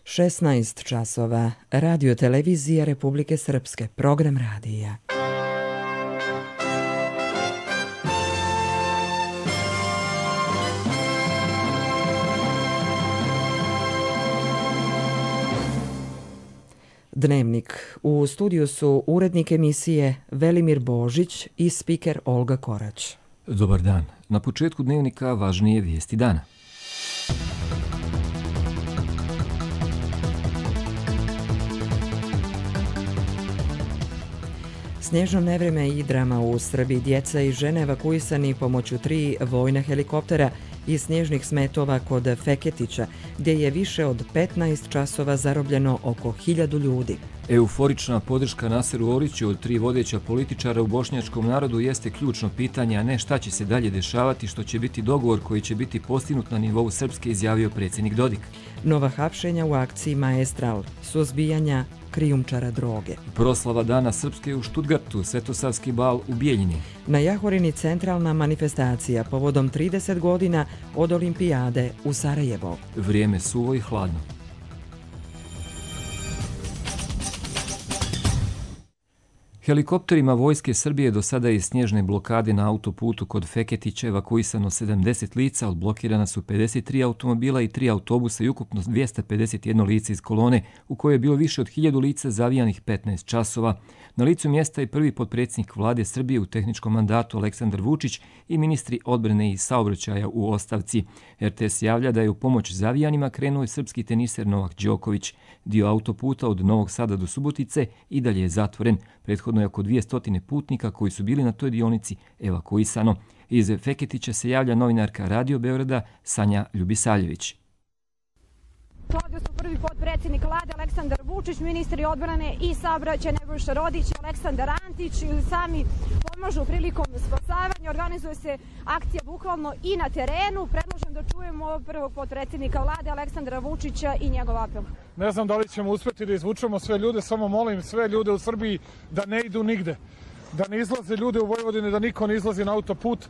16 časova. Radio televizija Republike Srpske. Program radija. Dnevnik. U studiju su urednik emisije Velimir Božić i spiker Olga Korać. Dobar dan. Na početku dnevnika važnije vijesti dana. Snježno nevreme i drama u Srbiji. Djeca i žene evakuisani pomoću 3 vojna helikoptera i snježnih smetova kod Feketića, gdje je više od 15 časova zarobljeno oko 1000 ljudi. Euforična podrška Naseru Oriću od 3 vodeća političara u bošnjačkom narodu jeste ključno pitanje, a ne šta će se dalje dešavati, što će biti dogovor koji će biti postignut na nivou Srpske, izjavio predsjednik Dodik. Nova hapšenja u akciji Maestral, suzbijanja krijumčara droge. Proslava Dana Srpske u Štutgartu, Svetosavski bal u Bijeljini. Na Jahorini centralna manifestacija povodom 30 godina od Olimpijade u Sarajevo. Vrijeme suvo i hladno. Helikopterima Vojske Srbije do sada iz snježne blokade na autoputu kod Feketića evakuisano 70 lica, odblokirana su 53 automobila i 3 autobusa i ukupno 251 lice iz kolone, u kojoj je bilo više od 1000 lica zavijanih 15 časova. Na licu mjesta je prvi potpredsjednik vlade Srbije u tehničkom mandatu Aleksandar Vučić i ministri odbrane i saobraćaja u ostavci. RTS javlja da je u pomoć zavijanima krenuo i srpski teniser Novak Đoković. Dio autoputa od Novog Sada do Subotice i dalje je zatvoren. Prethodno je oko 200 putnika koji su bili na toj dionici evakuisano. Iz Feketića se javlja novinarka Radio Beograda Sanja Ljubisaljević. Ovdje su prvi potpredsjednik vlade Aleksandar Vučić, ministri odbrane i saobraćaja Nebojša Rodić i Aleksandar Antić sami pomažu prilikom spasavanja. Organizuje se akcija bukvalno i na terenu. Predlažem da čujemo prvog potpredsjednika vlade Aleksandra Vučića i njegov apel. Ne znam da li ćemo uspjeti da izvučemo sve ljude, samo molim sve ljude u Srbiji da ne idu nigde. Da ne izlaze ljude u Vojvodini, da niko ne izlazi na autoput.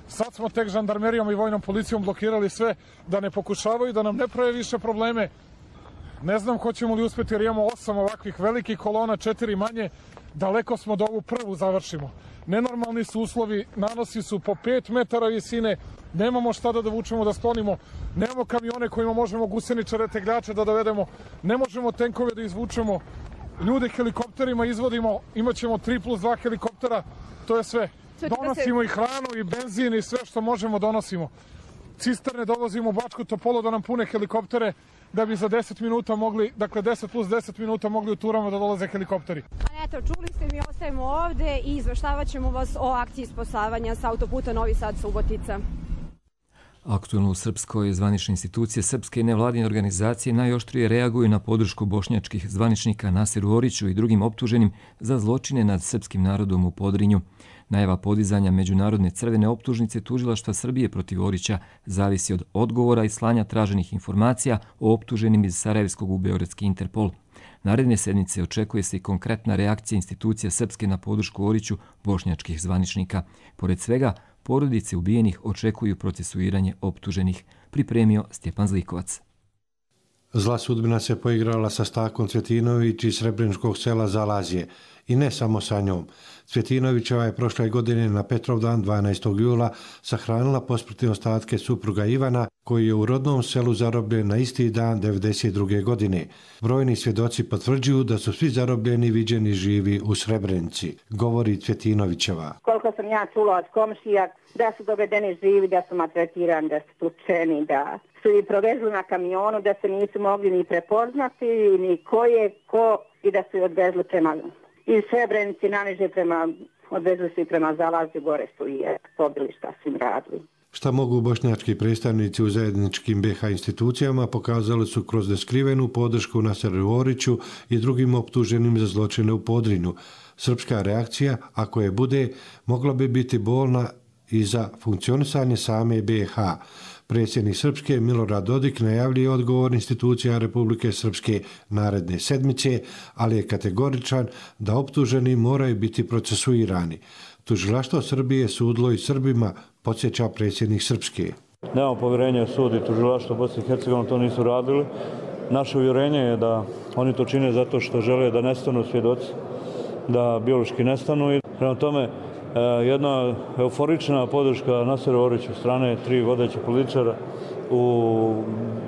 Sad smo tek žandarmerijom i vojnom policijom blokirali sve, da ne pokušavaju, da nam ne prave više probleme. Ne znam hoćemo li uspjeti jer imamo 8 ovakvih velikih kolona, 4 manje. Daleko smo da ovu prvu završimo. Nenormalni su uslovi, nanosi su po 5 metara visine, nemamo šta da dovučemo, da sklonimo, nemamo kamione kojima možemo guseničare, tegljače da dovedemo, ne možemo tenkove da izvučemo, ljude helikopterima izvodimo, imat ćemo 3+2 helikoptera, to je sve. Donosimo i hranu i benzin i sve što možemo donosimo. Cisterne dovozimo u Bačku Topolu da nam pune helikoptere, da bi za 10 minuta mogli, dakle 10+10 minuta mogli u turama da dolaze helikopteri. Eto, čuli ste, mi ostajemo ovde i izveštavat ćemo vas o akciji spasavanja sa autoputa Novi Sad-Subotica. Aktuelno u Srpskoj zvanične institucije srpske nevladine organizacije najoštrije reaguju na podršku bošnjačkih zvaničnika Naseru Oriću i drugim optuženim za zločine nad srpskim narodom u Podrinju. Najava podizanja međunarodne crvene optužnice tužilaštva Srbije protiv Orića zavisi od odgovora i slanja traženih informacija o optuženim iz Sarajevskog u beogradski Interpol. Naredne sedmice očekuje se i konkretna reakcija institucija srpske na podršku Oriću bošnjačkih zvaničnika. Pored svega, porodice ubijenih očekuju procesuiranje optuženih, pripremio Stjepan Zlikovac. Zla sudbina se poigrala sa Stakom Cvjetinović iz srebreničkog sela Zalazije i ne samo sa njom. Cvjetinovićeva je prošle godine na Petrovdan 12. jula sahranila posmrtne ostatke supruga Ivana, koji je u rodnom selu zarobljen na isti dan 1992. godine. Brojni svjedoci potvrđuju da su svi zarobljeni viđeni živi u Srebrenici, govori Cvjetinovićeva. Koliko sam ja čula od komšija, da su dovedeni živi, da su maltretirani, da su tučeni, da su ih provezli na kamionu, da se nisu mogli ni prepoznati, ni ko je ko, i da su ih odvezli prema iz Srebrenici naniže odvezli su i prema Zalazju, gore su i pobili šta su im radili. Šta mogu bošnjački predstavnici u zajedničkim BiH institucijama pokazali su kroz neskrivenu podršku Naseru Oriću i drugim optuženim za zločine u Podrinju. Srpska reakcija, ako je bude, mogla bi biti bolna i za funkcionisanje same BiH. Predsjednik Srpske Milorad Dodik najavljuje odgovor institucija Republike Srpske naredne sedmice, ali je kategoričan da optuženi moraju biti procesuirani. Tužilaštvo Srbije sudilo i Srbima, podsjeća predsjednik Srpske. Nemamo povjerenja u sud i tužilaštvo Bosne i Hercegovine, to nisu radili. Naše uvjerenje je da oni to čine zato što žele da nestanu svjedoci, da biološki nestanu i prema tome jedna euforična podrška Naseru Oriću strane 3 vodeće političara u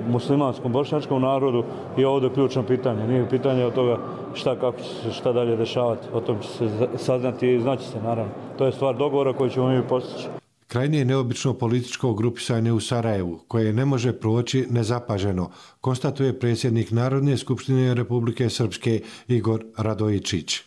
muslimanskom bošnjačkom narodu je ovdje ključno pitanje. Nije pitanje od toga kako će se šta dalje dešavati. O tom će se saznati i znaći se, naravno. To je stvar dogovora koju ćemo mi postići. Krajnje je neobično političko grupisanje u Sarajevu, koje ne može proći nezapaženo, konstatuje predsjednik Narodne skupštine Republike Srpske Igor Radojičić.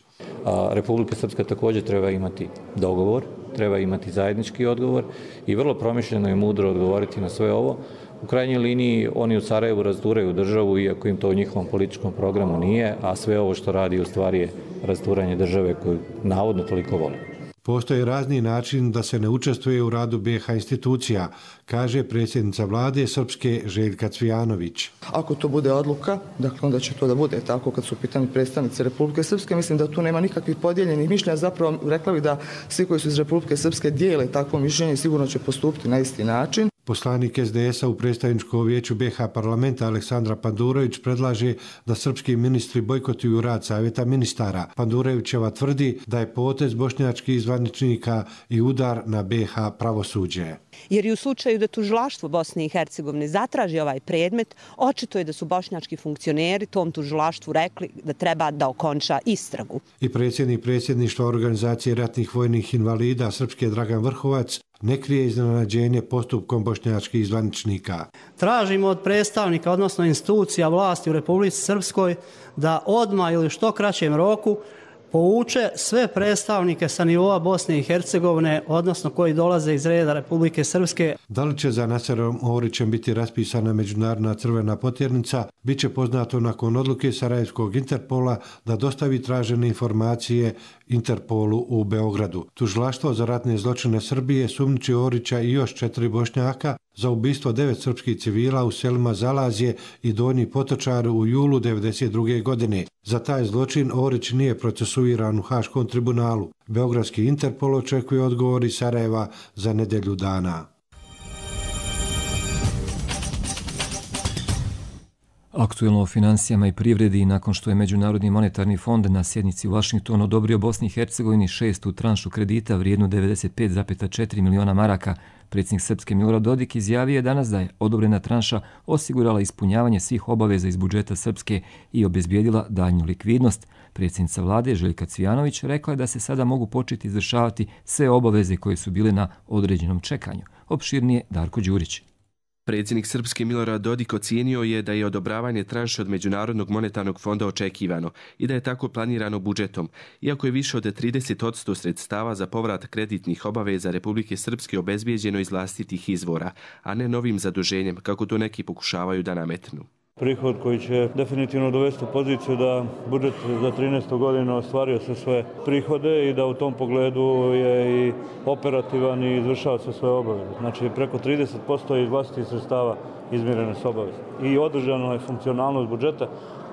Republika Srpska također treba imati dogovor, treba imati zajednički odgovor i vrlo promišljeno i mudro odgovoriti na sve ovo. U krajnjoj liniji oni u Sarajevu razduraju državu, iako im to u njihovom političkom programu nije, a sve ovo što radi u stvari je rasturanje države koju navodno toliko vole. Postoje razni način da se ne učestvuje u radu BiH institucija, kaže predsjednica vlade Srpske Željka Cvijanović. Ako to bude odluka, dakle onda će to da bude tako kad su u pitanju predstavnici Republike Srpske. Mislim da tu nema nikakvih podijeljenih mišljenja. Zapravo rekla bih da svi koji su iz Republike Srpske dijele takvo mišljenje sigurno će postupiti na isti način. Poslanik SDS-a u predstavničkom vijeću BiH parlamenta Aleksandra Pandurović predlaže da srpski ministri bojkotuju rad Savjeta ministara. Pandurovićeva tvrdi da je potez bošnjačkih zvaničnika i udar na BiH pravosuđe. Jer i u slučaju da tužilaštvo Bosne i Hercegovine zatraži ovaj predmet, očito je da su bošnjački funkcioneri tom tužilaštvu rekli da treba da okonča istragu. I predsjednik predsjedništva Organizacije ratnih vojnih invalida Srpske Dragan Vrhovac ne krije iznenađenje postupkom bošnjačkih zvaničnika. Tražimo od predstavnika, odnosno institucija vlasti u Republici Srpskoj, da odmah ili u što kraćem roku povuče sve predstavnike sa nivoa Bosne i Hercegovine, odnosno koji dolaze iz reda Republike Srpske. Da li će za Naserom Orićem biti raspisana međunarodna crvena potjernica, bit će poznato nakon odluke Sarajevskog Interpola da dostavi tražene informacije Interpolu u Beogradu. Tužilaštvo za ratne zločine Srbije sumnjiči Orića i još 4 Bošnjaka za ubistvo 9 srpskih civila u selima Zalazje i Donji Potočar u julu 1992. godine. Za taj zločin Orić nije procesuiran u Haškom tribunalu. Beogradski Interpol očekuje odgovor iz Sarajeva za nedelju dana. Aktuelno o financijama i privredi nakon što je Međunarodni monetarni fond na sjednici u Vašingtonu odobrio Bosni i Hercegovini 6. tranšu kredita vrijednu 95,4 miliona maraka. Predsjednik Srpske Milorad Dodik izjavio je danas da je odobrena tranša osigurala ispunjavanje svih obaveza iz budžeta Srpske i obezbijedila daljnju likvidnost. Predsjednica vlade Željka Cvijanović rekla je da se sada mogu početi izvršavati sve obaveze koje su bile na određenom čekanju. Opširnije Darko Đurić. Predsjednik Srpske Milorad Dodik ocijenio je da je odobravanje tranše od Međunarodnog monetarnog fonda očekivano i da je tako planirano budžetom, iako je više od 30% sredstava za povrat kreditnih obaveza Republike Srpske obezbijeđeno iz vlastitih izvora, a ne novim zaduženjem, kako to neki pokušavaju da nametnu. Prihod koji će definitivno dovesti u poziciju da budžet za 13. godinu ostvario sve svoje prihode i da u tom pogledu je i operativan i izvršava sve svoje obaveze. Znači preko 30% iz vlastitih sredstava izmirene su obaveze. I održana je funkcionalnost budžeta,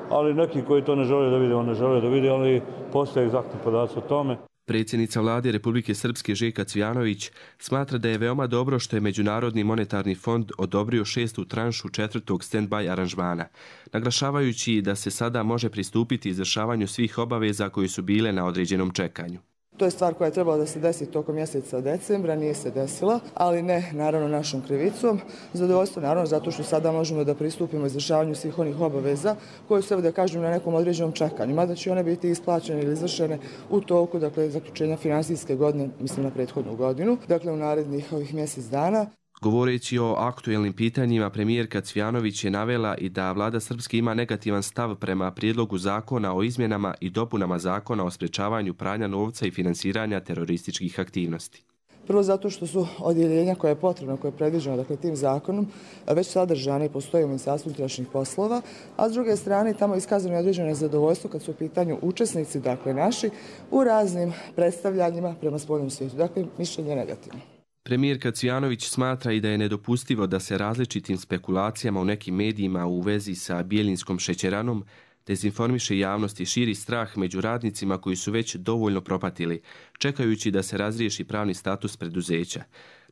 ali neki koji to ne žele da vide, on ne žele da vide, ali postoje egzaktni podaci o tome. Predsjednica vlade Republike Srpske Željka Cvijanović smatra da je veoma dobro što je Međunarodni monetarni fond odobrio 6. tranšu 4. stand-by aranžmana, naglašavajući da se sada može pristupiti izvršavanju svih obaveza koji su bile na određenom čekanju. To je stvar koja je trebala da se desi tokom mjeseca decembra, nije se desila, ali ne naravno našom krivicom. Zadovoljstvo naravno zato što sada možemo da pristupimo izvršavanju svih onih obaveza koje su, da kažem, na nekom određenom čekanju. Mada će one biti isplaćene ili izvršene u toku, dakle, zaključenja finansijske godine, mislim na prethodnu godinu, dakle u narednih ovih mjesec dana. Govoreći o aktuelnim pitanjima, premijerka Cvijanović je navela i da vlada Srpske ima negativan stav prema prijedlogu zakona o izmjenama i dopunama zakona o sprečavanju pranja novca i finansiranja terorističkih aktivnosti. Prvo zato što su odjeljenja koje je potrebno, koje je predviđeno dakle, tim zakonom, već sadržane i postoje u Ministarstvu unutrašnjih poslova, a s druge strane tamo je iskazano određeno nezadovoljstvo kad su u pitanju učesnici, dakle naši, u raznim predstavljanjima prema spoljnom svijetu. Dakle, mišljenje je negativno. Premijerka Cvijanović smatra i da je nedopustivo da se različitim spekulacijama u nekim medijima u vezi sa Bijelinskom šećeranom dezinformiše javnost i širi strah među radnicima koji su već dovoljno propatili, čekajući da se razriješi pravni status preduzeća.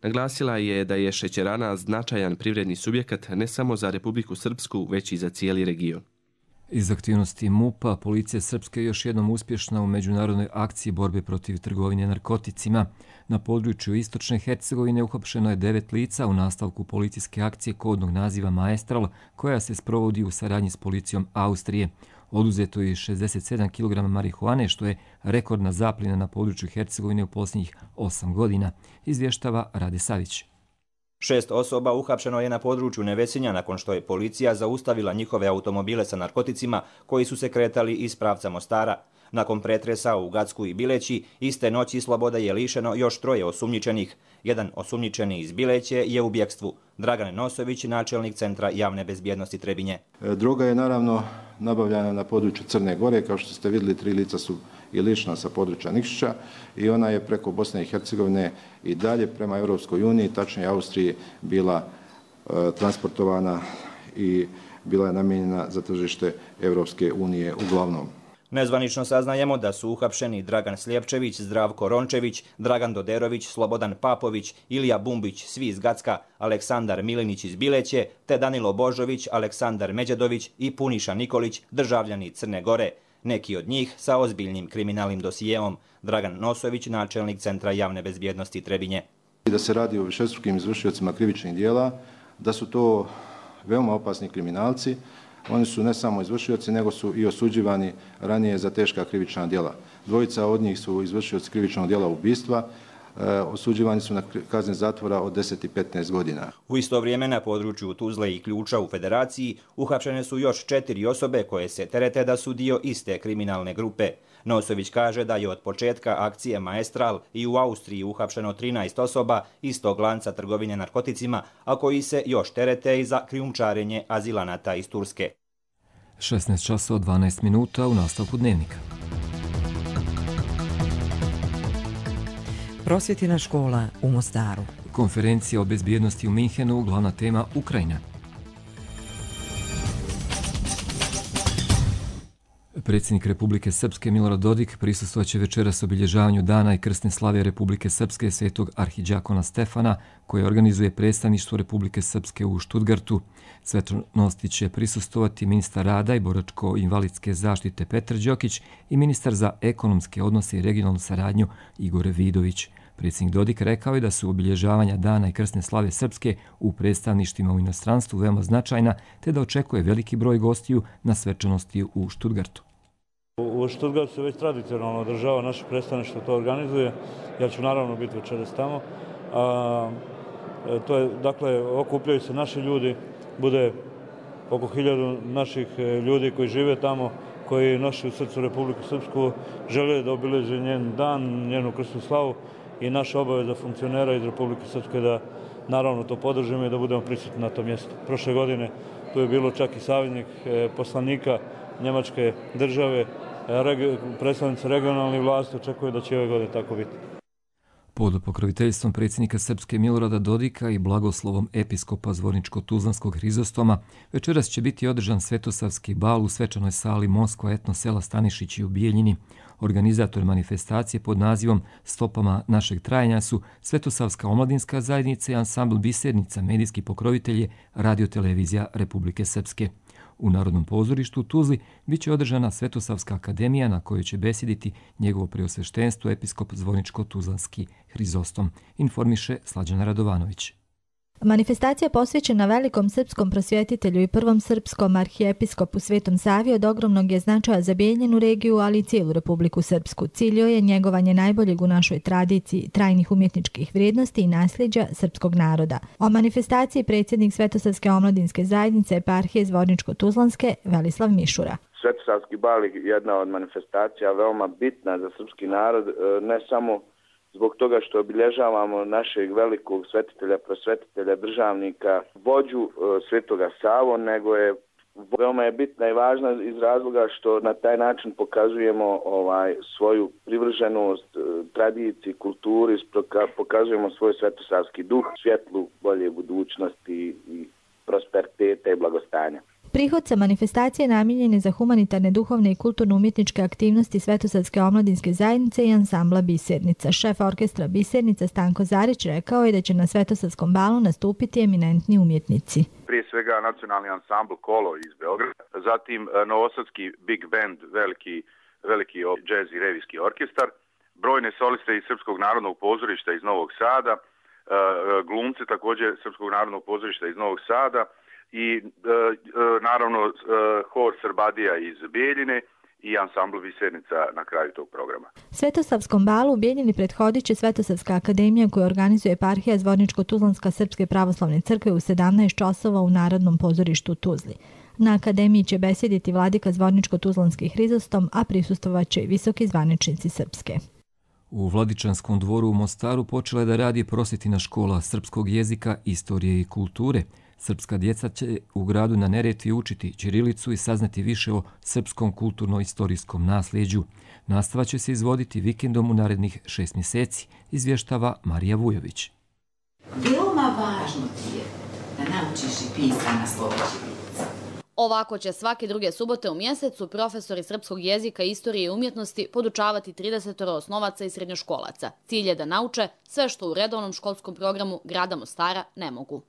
Naglasila je da je šećerana značajan privredni subjekat ne samo za Republiku Srpsku, već i za cijeli region. Iz aktivnosti MUP-a, policija Srpske je još jednom uspješna u međunarodnoj akciji borbe protiv trgovine narkoticima. Na području istočne Hercegovine uhapšeno je 9 lica u nastavku policijske akcije kodnog naziva Maestral, koja se sprovodi u saradnji s policijom Austrije. Oduzeto je 67 kg marihuane, što je rekordna zapljena na području Hercegovine u posljednjih 8 godina, izvještava Rade Savić. 6 osoba uhapšeno je na području Nevesinja nakon što je policija zaustavila njihove automobile sa narkoticima koji su se kretali iz pravca Mostara. Nakon pretresa u Gacku i Bileći, iste noći slobode je lišeno još 3 osumnjičenih. Jedan osumnjičeni iz Bileće je u bjekstvu. Dragan Nosović, načelnik Centra javne bezbjednosti Trebinje. Droga je naravno nabavljana na području Crne Gore. Kao što ste vidjeli, 3 lica su i lišna sa područja Nikšića i ona je preko Bosne i Hercegovine i dalje prema Europskoj uniji, tačnije Austriji, bila transportovana i bila je namijenjena za tržište Europske unije uglavnom. Nezvanično saznajemo da su uhapšeni Dragan Slijepčević, Zdravko Rončević, Dragan Doderović, Slobodan Papović, Ilija Bumbić, svi iz Gacka, Aleksandar Milinić iz Bileće, te Danilo Božović, Aleksandar Međedović i Puniša Nikolić, državljani Crne Gore. Neki od njih sa ozbiljnim kriminalnim dosijeom. Dragan Nosović, načelnik Centra javne bezbjednosti Trebinje. Da se radi o višestrukim izvršiocima krivičnih dijela, da su to veoma opasni kriminalci. Oni su ne samo izvršioci, nego su i osuđivani ranije za teška krivična djela. 2 od njih su izvršioci krivičnog djela ubistva, osuđivani su na kazne zatvora od 10 i 15 godina. U isto vrijeme na području Tuzle i Ključa u Federaciji uhapšene su još 4 osobe koje se terete da su dio iste kriminalne grupe. Nosović kaže da je od početka akcije Maestral i u Austriji uhapšeno 13 osoba iz tog lanca trgovine narkoticima, a koji se još terete i za krijumčarenje azilanata iz Turske. 16 časova 12 minuta u nastavku dnevnika. Prosvjetina škola u Mostaru. Konferencija o bezbjednosti u Minhenu, glavna tema Ukrajina. Predsjednik Republike Srpske Milorad Dodik prisustvovaće večeras obilježavanju dana i krsne slave Republike Srpske svetog arhidžakona Stefana, koje organizuje predstavništvo Republike Srpske u Štutgartu. Svečanosti će prisustvovati ministar rada i boračko-invalidske zaštite Petar Đokić i ministar za ekonomske odnose i regionalnu saradnju Igor Vidović. Predsjednik Dodik rekao je da su obilježavanja dana i krsne slave Srpske u predstavništvima u inostranstvu veoma značajna, te da očekuje veliki broj gostiju na svečanosti u Štutgartu. U Štutgartu se već tradicionalno održava, naše predstavništvo to organizuje. Ja ću naravno biti večeras tamo. To je, dakle, okupljaju se naši ljudi, bude oko 1000 naših ljudi koji žive tamo, koji nosi u srcu Republiku Srpsku, žele da obileže njen dan, njenu krsnu slavu i naša obaveza funkcionera iz Republike Srpske da naravno to podržimo i da budemo prisutni na tom mjestu. Prošle godine tu je bilo čak i savjetnik poslanika Njemačke države, predstavnici regionalnih vlasti očekuju da će ove godine tako biti. Pod pokroviteljstvom predsjednika Srpske Milorada Dodika i blagoslovom episkopa Zvorničko-Tuzlanskog Hrizostoma večeras će biti održan svetosavski bal u svečanoj sali Moskva etno sela Stanišići u Bijeljini. Organizator manifestacije pod nazivom Stopama našeg trajanja su Svetosavska omladinska zajednica i ansambl Bisernica, medijski pokrovitelj je Radio-televizija Republike Srpske. U Narodnom pozorištu u Tuzli biće održana Svetosavska akademija na kojoj će besjediti njegovo preosveštenstvo episkop Zvorničko-Tuzlanski Hrizostom, informiše Slađana Radovanović. Manifestacija posvećena velikom srpskom prosvjetitelju i prvom srpskom arhijepiskopu Svetom Savi od ogromnog je značaja za Bijeljinu regiju, ali i cijelu Republiku Srpsku. Cilj je njegovanje najboljeg u našoj tradiciji, trajnih umjetničkih vrijednosti i nasljeđa srpskog naroda. O manifestaciji predsjednik Svetosavske omladinske zajednice eparhije Zvorničko-Tuzlanske Velislav Mišura. Svetosavski bal je jedna od manifestacija veoma bitna za srpski narod, ne samo zbog toga što obilježavamo našeg velikog svetitelja, prosvetitelja, državnika, vođu Svetoga Savu, nego je veoma je bitna i važna iz razloga što na taj način pokazujemo svoju privrženost tradiciji, kulturi, pokazujemo svoj svetosavski duh, svjetlu, bolje budućnosti i prosperiteta i blagostanja. Prihod sa manifestacije namijenjen je za humanitarne, duhovne i kulturno-umjetničke aktivnosti Svetosavske omladinske zajednice i ansambla Bisernica. Šef orkestra Bisernica Stanko Zarić rekao je da će na Svetosavskom balu nastupiti eminentni umjetnici. Prije svega nacionalni ansambl Kolo iz Beograda, zatim novosadski Big Band, veliki džez i revijski orkestar, brojne soliste iz Srpskog narodnog pozorišta iz Novog Sada, glumce također Srpskog narodnog pozorišta iz Novog Sada i naravno hor Srbadija iz Bijeljine i ansambl Bisernica na kraju tog programa. Svetosavskom balu u Bijeljini prethodit će Svetosavska akademija koju organizuje eparhija Zvorničko-Tuzlanska Srpske pravoslavne crkve u 17 časova u Narodnom pozorištu u Tuzli. Na akademiji će besjediti vladika Zvorničko-Tuzlanski Hrizostom, a prisustvovaće i visoki zvaničnici Srpske. U Vladičanskom dvoru u Mostaru počela je da radi prosvjetna škola srpskog jezika, istorije i kulture. Srpska djeca će u gradu na Neretvi učiti ćirilicu i saznati više o srpskom kulturno-istorijskom nasljeđu. Nastava će se izvoditi vikendom u narednih 6 mjeseci, izvještava Marija Vujović. Veoma važno ti je da naučiš i pisana slova ćirilica. Ovako će svake druge subote u mjesecu profesori srpskog jezika, istorije i umjetnosti podučavati 30 osnovaca i srednjoškolaca. Cilj je da nauče sve što u redovnom školskom programu grada Mostara ne mogu.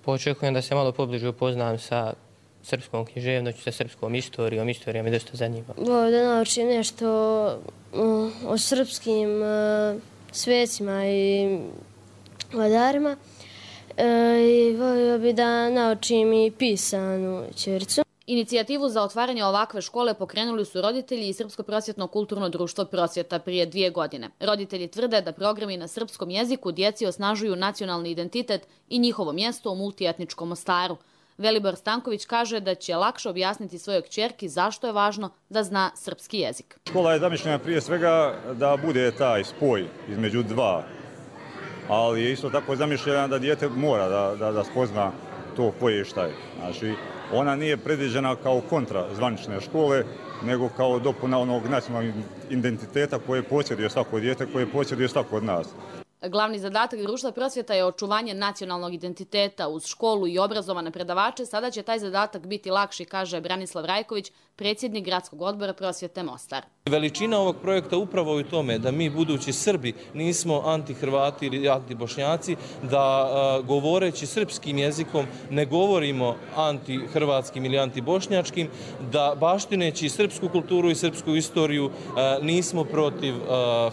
Očekujem da se malo pobliže upoznam sa srpskom književnošću, sa srpskom istorijom. Istorija me dosta zanima. Da naučim nešto o srpskim svecima i vladarima. I volio bi da naučim i pisanu ćirilicu. Inicijativu za otvaranje ovakve škole pokrenuli su roditelji i Srpsko prosvjetno kulturno društvo Prosvjeta prije 2 godine. Roditelji tvrde da programi na srpskom jeziku djeci osnažuju nacionalni identitet i njihovo mjesto u multietničkom Mostaru. Velibor Stanković kaže da će lakše objasniti svojoj kćerki zašto je važno da zna srpski jezik. Škola je zamišljena prije svega da bude taj spoj između dva, ali je isto tako zamišljena da dijete mora da spozna to koje je šta je. Znači, ona nije predviđena kao kontra zvanične škole, nego kao dopuna onog nacionalnog identiteta koje posjeduje svako dijete, koje posjeduje svako od nas. Glavni zadatak društva Prosvjeta je očuvanje nacionalnog identiteta. Uz školu i obrazovane predavače sada će taj zadatak biti lakši, kaže Branislav Rajković, predsjednik Gradskog odbora Prosvjete Mostar. Veličina ovog projekta upravo je u tome da mi, budući Srbi, nismo anti-Hrvati ili anti-Bošnjaci, da govoreći srpskim jezikom ne govorimo anti-hrvatskim ili anti-bošnjačkim, da baštineći srpsku kulturu i srpsku istoriju nismo protiv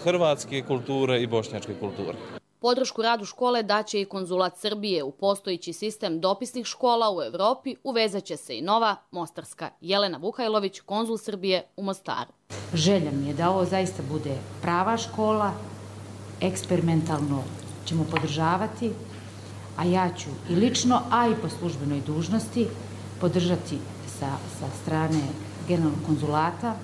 hrvatske kulture i bošnjačke kulture. Podršku radu škole daće i konzulat Srbije. U postojići sistem dopisnih škola u Evropi uvezat će se i nova mostarska. Jelena Vuhajlović, konzul Srbije u Mostaru. Želja mi je da ovo zaista bude prava škola, eksperimentalno ćemo podržavati, a ja ću i lično, a i po službenoj dužnosti podržati sa strane generalnog konzulata,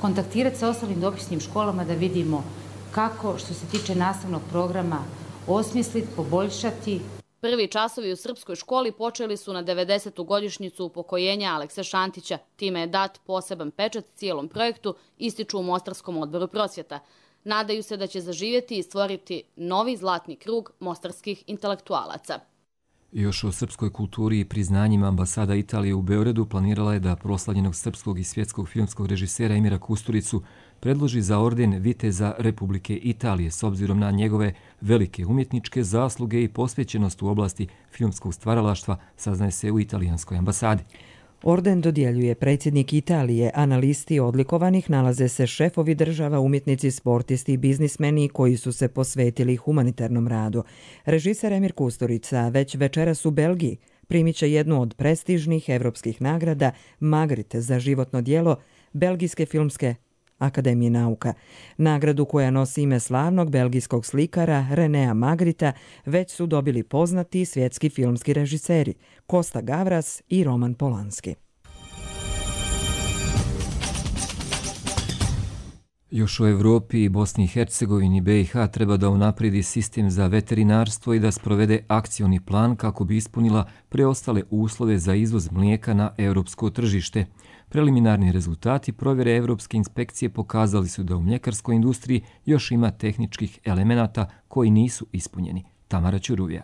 kontaktirati sa ostalim dopisnim školama da vidimo kako, što se tiče nastavnog programa, osmisliti, poboljšati. Prvi časovi u srpskoj školi počeli su na 90. godišnjicu upokojenja Alekse Šantića. Time je dat poseban pečat cijelom projektu, ističu u Mostarskom odboru Prosvjeta. Nadaju se da će zaživjeti i stvoriti novi zlatni krug mostarskih intelektualaca. Još o srpskoj kulturi i priznanjima ambasada Italije u Beogradu planirala je da proslavljenog srpskog i svjetskog filmskog režisera Emira Kusturicu predloži za orden Viteza Republike Italije s obzirom na njegove velike umjetničke zasluge i posvećenost u oblasti filmskog stvaralaštva, saznaje se u italijanskoj ambasadi. Orden dodjeljuje predsjednik Italije, a na listi odlikovanih nalaze se šefovi država, umjetnici, sportisti i biznismeni koji su se posvetili humanitarnom radu. Režiser Emir Kusturica već večeras u Belgiji primit će jednu od prestižnih evropskih nagrada Magritte za životno djelo Belgijske filmske Akademije nauka. Nagradu koja nosi ime slavnog belgijskog slikara Renea Magrita već su dobili poznati svjetski filmski režiseri Kosta Gavras i Roman Polanski. Još u Evropi i Bosni i Hercegovini BiH treba da unapredi sistem za veterinarstvo i da sprovede akcioni plan kako bi ispunila preostale uslove za izvoz mlijeka na europsko tržište. Preliminarni rezultati provjere Evropske inspekcije pokazali su da u mljekarskoj industriji još ima tehničkih elemenata koji nisu ispunjeni. Tamara Ćuruvija.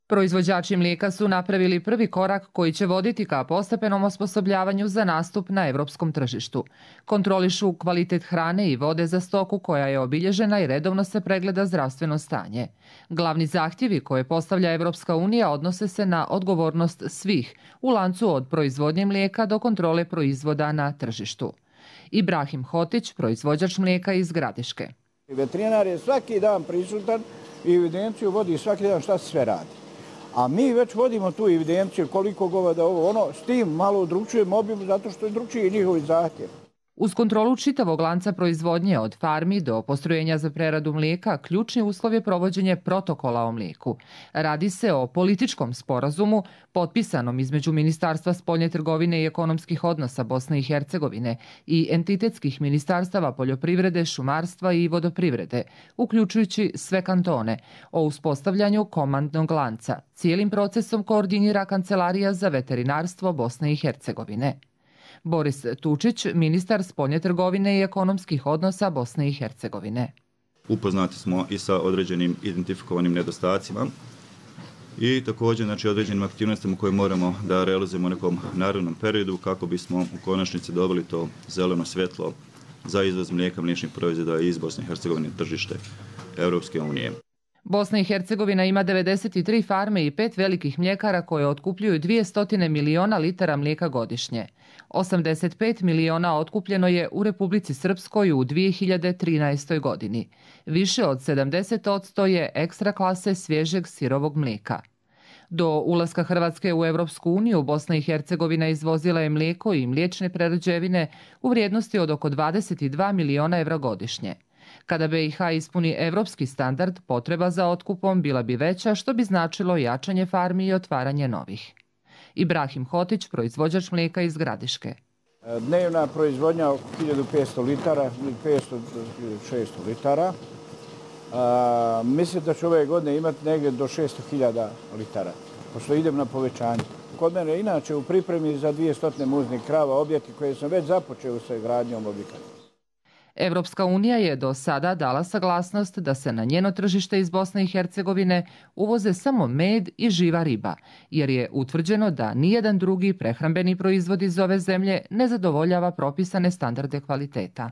Proizvođači mlijeka su napravili prvi korak koji će voditi ka postepenom osposobljavanju za nastup na evropskom tržištu. Kontrolišu kvalitet hrane i vode za stoku koja je obilježena i redovno se pregleda zdravstveno stanje. Glavni zahtjevi koje postavlja Evropska unija odnose se na odgovornost svih u lancu od proizvodnje mlijeka do kontrole proizvoda na tržištu. Ibrahim Hotić, proizvođač mlijeka iz Gradiške. Veterinar je svaki dan prisutan i evidenciju vodi svaki dan šta se sve radi. A mi već vodimo tu evidenciju koliko goveda ovo, ono, s tim malo drugčujemo obim zato što je drugčiji njihovi zahtjev. Uz kontrolu čitavog lanca proizvodnje od farmi do postrojenja za preradu mlijeka, ključni uslov je provođenje protokola o mlijeku. Radi se o političkom sporazumu potpisanom između Ministarstva spoljne trgovine i ekonomskih odnosa Bosne i Hercegovine i entitetskih ministarstava poljoprivrede, šumarstva i vodoprivrede, uključujući sve kantone, o uspostavljanju komandnog lanca. Cijelim procesom koordinira Kancelarija za veterinarstvo Bosne i Hercegovine. Boris Tučić, ministar spoljne trgovine i ekonomskih odnosa Bosne i Hercegovine. Upoznati smo i sa određenim identifikovanim nedostacima i također određenim aktivnostima koje moramo da realizujemo u nekom narednom periodu kako bismo u konačnici dobili to zeleno svjetlo za izvoz mlijeka, mliječnih proizvoda iz Bosne i Hercegovine tržište Europske unije. Bosna i Hercegovina ima 93 farme i 5 velikih mljekara koje otkupljuju 200 miliona litara mlijeka godišnje. 85 miliona otkupljeno je u Republici Srpskoj u 2013. godini. Više od 70% je ekstra klase svježeg sirovog mlijeka. Do ulaska Hrvatske u Evropsku uniju, Bosna i Hercegovina izvozila je mlijeko i mliječne prerađevine u vrijednosti od oko 22 miliona evra godišnje. Kada BiH ispuni evropski standard, potreba za otkupom bila bi veća, što bi značilo jačanje farmi i otvaranje novih. Ibrahim Hotić, proizvođač mlijeka iz Gradiške. Dnevna proizvodnja oko 1500 litara, 500-600 litara. Mislim da će ove godine imati negdje do 600.000 litara, pošto idem na povećanje. Kod mene inače u pripremi za 200 muznih krava objekti koje sam već započeo sa gradnjom objekata. Evropska unija je do sada dala saglasnost da se na njeno tržište iz Bosne i Hercegovine uvoze samo med i živa riba, jer je utvrđeno da nijedan drugi prehrambeni proizvod iz ove zemlje ne zadovoljava propisane standarde kvaliteta.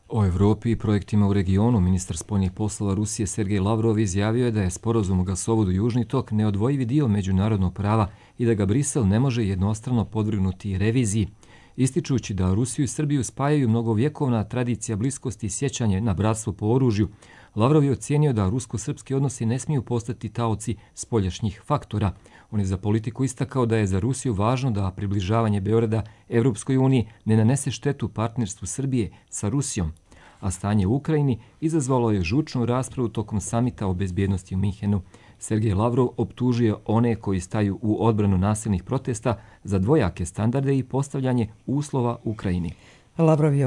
O Evropi i projektima u regionu ministar spoljnih poslova Rusije Sergej Lavrov izjavio je da je sporazum o gasovodu Južni tok neodvojivi dio međunarodnog prava i da ga Brisel ne može jednostrano podvrgnuti reviziji. Ističući da Rusiju i Srbiju spajaju mnogovjekovna tradicija bliskosti i sjećanje na bratstvo po oružju, Lavrov je ocijenio da rusko-srpski odnosi ne smiju postati taoci spoljašnjih faktora. On je za politiku istakao da je za Rusiju važno da približavanje Beograda Evropskoj uniji ne nanese štetu partnerstvu Srbije sa Rusijom, a stanje u Ukrajini izazvalo je žučnu raspravu tokom samita o bezbjednosti u Minhenu. Sergej Lavrov optužio one koji staju u odbranu nasilnih protesta za dvojake standarde i postavljanje uslova Ukrajini. Lavrov je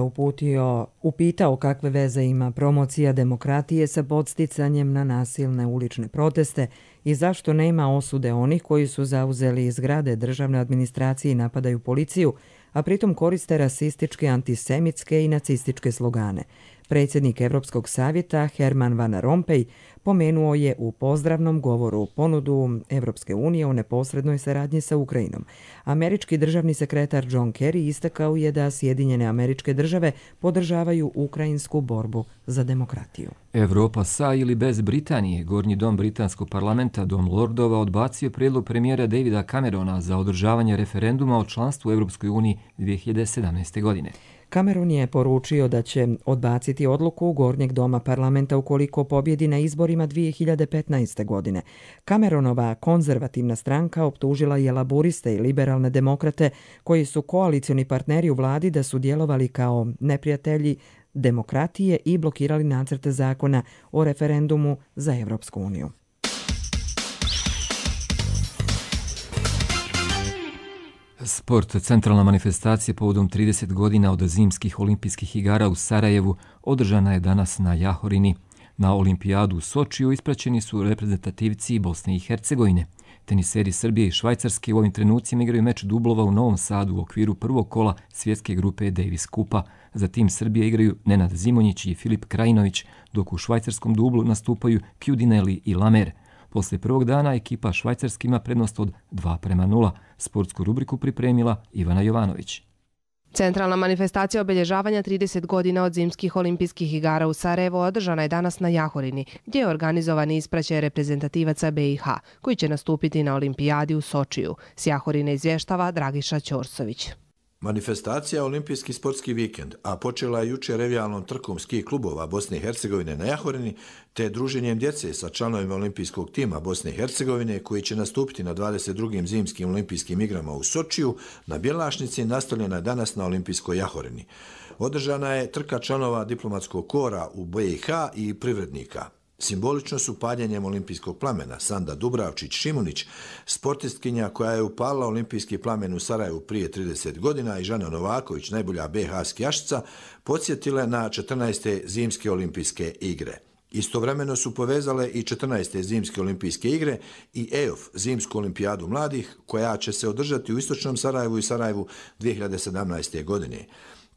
upitao kakve veze ima promocija demokratije sa podsticanjem na nasilne ulične proteste i zašto nema osude onih koji su zauzeli zgrade državne administracije i napadaju policiju, a pritom koriste rasističke, antisemitske i nacističke slogane. Predsjednik Evropskog savjeta Herman Van Rompuy pomenuo je u pozdravnom govoru ponudu Evropske unije o neposrednoj saradnji sa Ukrajinom. Američki državni sekretar John Kerry istakao je da Sjedinjene Američke Države podržavaju ukrajinsku borbu za demokratiju. Evropa sa ili bez Britanije, Gornji dom britanskog parlamenta, Dom Lordova, odbacio prijedlog premijera Davida Camerona za održavanje referenduma o članstvu u Evropskoj uniji 2017. godine. Cameron je poručio da će odbaciti odluku Gornjeg doma parlamenta ukoliko pobjedi na izborima 2015. godine. Cameronova konzervativna stranka optužila je laburiste i liberalne demokrate koji su koalicioni partneri u vladi da su djelovali kao neprijatelji demokratije i blokirali nacrte zakona o referendumu za Evropsku uniju. Sport. Centralna manifestacija povodom 30 godina od zimskih olimpijskih igara u Sarajevu održana je danas na Jahorini. Na olimpijadu u Sočiju ispraćeni su reprezentativci Bosne i Hercegovine. Teniseri Srbije i Švajcarske u ovim trenucima igraju meč dublova u Novom Sadu u okviru prvog kola svjetske grupe Davis Kupa. Za tim Srbije igraju Nenad Zimonjić i Filip Krajinović, dok u švajcarskom dublu nastupaju Kjudineli i Lamer. Poslije prvog dana ekipa Švajcarske ima prednost od 2:0. Sportsku rubriku pripremila Ivana Jovanović. Centralna manifestacija obilježavanja 30 godina od zimskih olimpijskih igara u Sarajevo održana je danas na Jahorini, gdje je organizovan ispraćaj reprezentativaca BiH, koji će nastupiti na olimpijadi u Sočiju. S Jahorine izvještava Dragiša Ćorsović. Manifestacija Olimpijski sportski vikend, a počela je jučer revijalnom trkom ski klubova Bosne i Hercegovine na Jahorini, te druženjem djece sa članovima olimpijskog tima Bosne i Hercegovine, koji će nastupiti na 22. zimskim olimpijskim igrama u Sočiju, na Bjelašnici nastavljena je danas na olimpijskoj Jahorini. Održana je trka članova diplomatskog kora u BiH i privrednika. Simbolično su paljenjem olimpijskog plamena Sanda Dubravčić-Šimunić, sportistkinja koja je upalila olimpijski plamen u Sarajevu prije 30 godina, i Žana Novaković, najbolja BiH skijašica, podsjetile na 14. zimske olimpijske igre. Istovremeno su povezale i 14. zimske olimpijske igre i EOF, zimsku olimpijadu mladih, koja će se održati u istočnom Sarajevu i Sarajevu 2017. godine.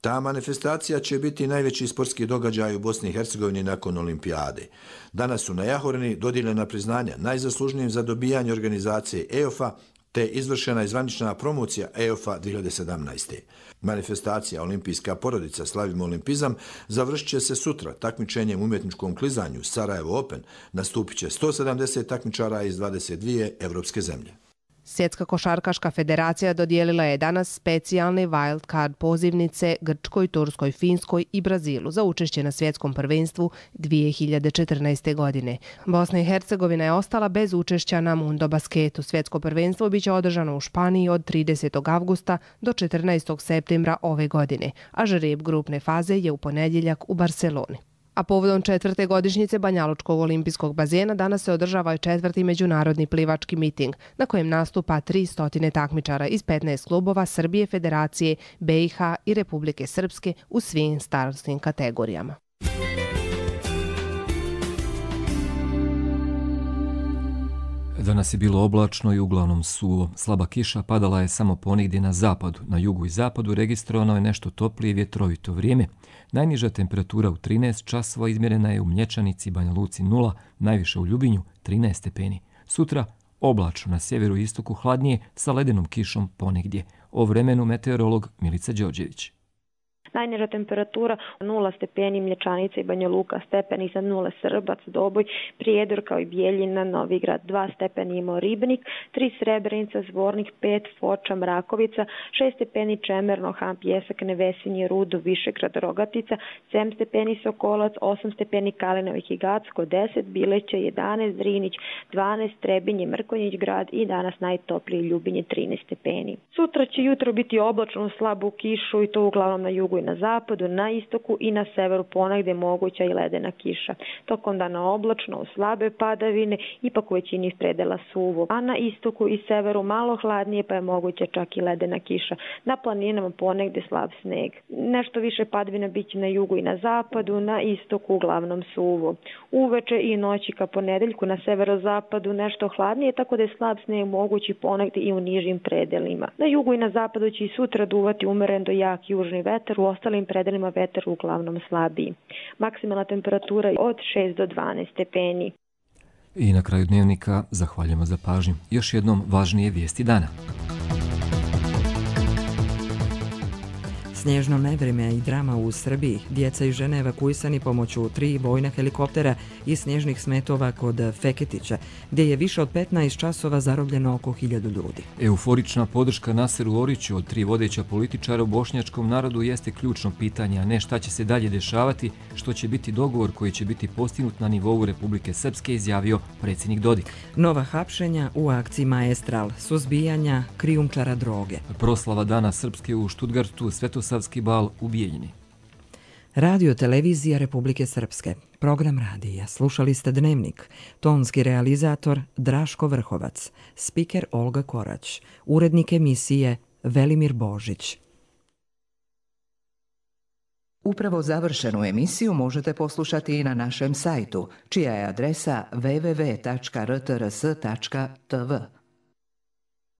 Ta manifestacija će biti najveći sportski događaj u Bosni i Hercegovini nakon olimpijade. Danas su na Jahorini dodijeljena priznanja najzaslužnijim za dobijanje organizacije EOF-a, te izvršena zvanična promocija EOF-a 2017. Manifestacija Olimpijska porodica Slavimo olimpizam završit će se sutra takmičenjem u umjetničkom klizanju Sarajevo Open. Nastupit će 170 takmičara iz 22 evropske zemlje. Svjetska košarkaška federacija dodijelila je danas specijalne wild card pozivnice Grčkoj, Turskoj, Finskoj i Brazilu za učešće na svjetskom prvenstvu 2014. godine. Bosna i Hercegovina je ostala bez učešća na Mundo basketu. Svjetsko prvenstvo biće održano u Španiji od 30. avgusta do 14. septembra ove godine, a žreb grupne faze je u ponedjeljak u Barceloni. A povodom 4. godišnjice Banjalučkog olimpijskog bazena danas se održava 4. međunarodni plivački miting, na kojem nastupa 300 takmičara iz 15 klubova Srbije, Federacije, BiH i Republike Srpske u svim starosnim kategorijama. Danas je bilo oblačno i uglavnom suvo. Slaba kiša padala je samo ponigdje na zapadu. Na jugu i zapadu registrovano je nešto toplije i vjetrovito vrijeme. Najniža temperatura u 13 časova izmjerena je u Mlječanici, Banja Luci 0, najviše u Ljubinju 13 stepeni. Sutra oblačno, na sjeveru i istoku hladnije sa ledenom kišom ponegdje. O vremenu meteorolog Milica Đorđević. Najniža temperatura 0 stepeni Mlječanica i Banja Luka, stepeni iznad 0 Srbac, Doboj, Prijedor kao i Bijeljina, Novigrad 2 stepeni imao Ribnik, 3 Srebrenica, Zvornik 5, Foča, Mrakovica, 6 stepeni Čemerno, Han, Pjesak, Nevesinje, Rudo, Višegrad, Rogatica, 7 stepeni Sokolac, 8 stepeni Kalinovih i Gacko, 10 Bileća, 11 Drinić, 12 Trebinje, Mrkonjić grad i danas najtoplije Ljubinje 13 stepeni. Sutra će jutro biti oblačno, slabu kišu i to uglavnom na jugu i na zapadu, na istoku i na severu ponegdje moguća i ledena kiša. Tokom dana oblačno, u slabe padavine, ipak u većini predela suvo. A na istoku i severu malo hladnije, pa je moguća čak i ledena kiša. Na planinama ponegdje slab sneg. Nešto više padavina biće na jugu i na zapadu, na istoku uglavnom suvo. Uveče i noći ka ponedeljku na severozapadu nešto hladnije, tako da je slab sneg mogući ponegdje i u nižim predelima. Na jugu i na zapadu će i sutra duvati umeren do jak južni vetar, u ostalim predelima vetar uglavnom slabiji. Maksimalna temperatura je od 6 do 12 stepeni. I na kraju dnevnika zahvaljujemo za pažnju. Još jednom važnije vijesti dana. Snježno nevrijeme i drama u Srbiji. Djeca i žene evakuisani pomoću 3 vojna helikoptera i snježnih smetova kod Feketića, gdje je više od 15 časova zarobljeno oko 1000 ljudi. Euforična podrška Naseru Oriću od 3 vodeća političara u bošnjačkom narodu jeste ključno pitanje, a ne šta će se dalje dešavati, što će biti dogovor koji će biti postignut na nivou Republike Srpske, izjavio predsjednik Dodik. Nova hapšenja u akciji Maestral, suzbijanja krijumčara droge. Proslava Dana Srpske u Štutgartu, Svetosavski bal u Bijeljini. Radio televizija Republike Srpske. Program radija. Slušali ste Dnevnik. Tonski realizator Draško Vrhovac. Spiker Olga Korać. Urednik emisije Velimir Božić. Upravo završenu emisiju možete poslušati i na našem sajtu, čija je adresa www.rtrs.tv.